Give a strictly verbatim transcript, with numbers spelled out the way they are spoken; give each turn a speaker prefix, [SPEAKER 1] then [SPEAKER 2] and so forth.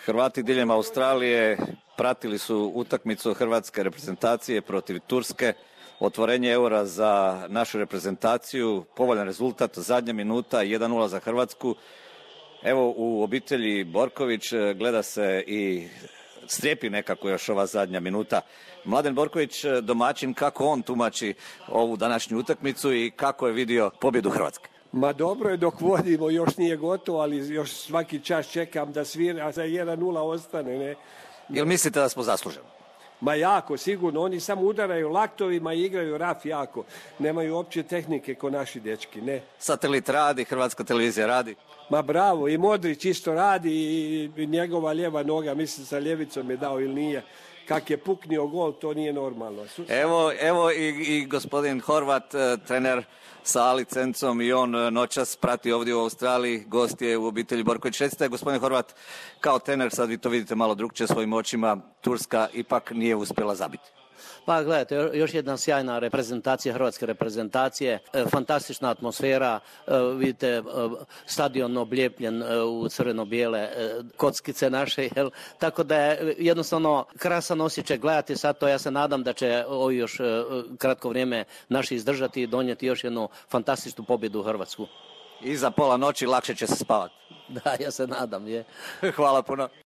[SPEAKER 1] Hrvati diljem Australije pratili su utakmicu hrvatske reprezentacije protiv Turske. Otvorenje eura za našu reprezentaciju, povoljan rezultat, zadnja minuta, jedan nula za Hrvatsku. Evo, u obitelji Borković gleda se i strijepi nekako još ova zadnja minuta. Mladen Borković, domaćin, kako on tumači ovu današnju utakmicu i kako je vidio pobjedu Hrvatske?
[SPEAKER 2] Ma dobro je dok vodimo, još nije gotovo, ali još svaki čas čekam da svira, a za jedan nula ostane. Ne?
[SPEAKER 1] Jel mislite da smo zasluženi?
[SPEAKER 2] Ma jako, sigurno. Oni samo udaraju laktovima i igraju raf jako. Nemaju opće tehnike ko naši dečki, ne.
[SPEAKER 1] Satelit radi, Hrvatska televizija radi.
[SPEAKER 2] Ma bravo, i Modrić isto radi i njegova lijeva noga, mislim sa ljevicom je dao ili nije. Kak je puknio gol, to nije normalno.
[SPEAKER 1] Evo, evo i, i gospodin Horvat, trener sa licencom, i on noćas prati ovdje u Australiji, gost je u obitelji Borković. Recite, gospodin Horvat, kao trener, sad vi to vidite malo drugčije svojim očima, Turska ipak nije uspjela zabiti.
[SPEAKER 3] Pa gledajte, još jedna sjajna reprezentacija, hrvatske reprezentacije, e, fantastična atmosfera, e, vidite e, stadion oblijepljen e, u crveno-bijele e, kockice naše, jel? Tako da je jednostavno krasan osjećaj gledati sad to. Ja se nadam da će ovo još e, kratko vrijeme naši izdržati i donijeti još jednu fantastičnu pobjedu u Hrvatsku.
[SPEAKER 1] I za pola noći lakše će se spavati.
[SPEAKER 3] Da, ja se nadam, je.
[SPEAKER 1] Hvala puno.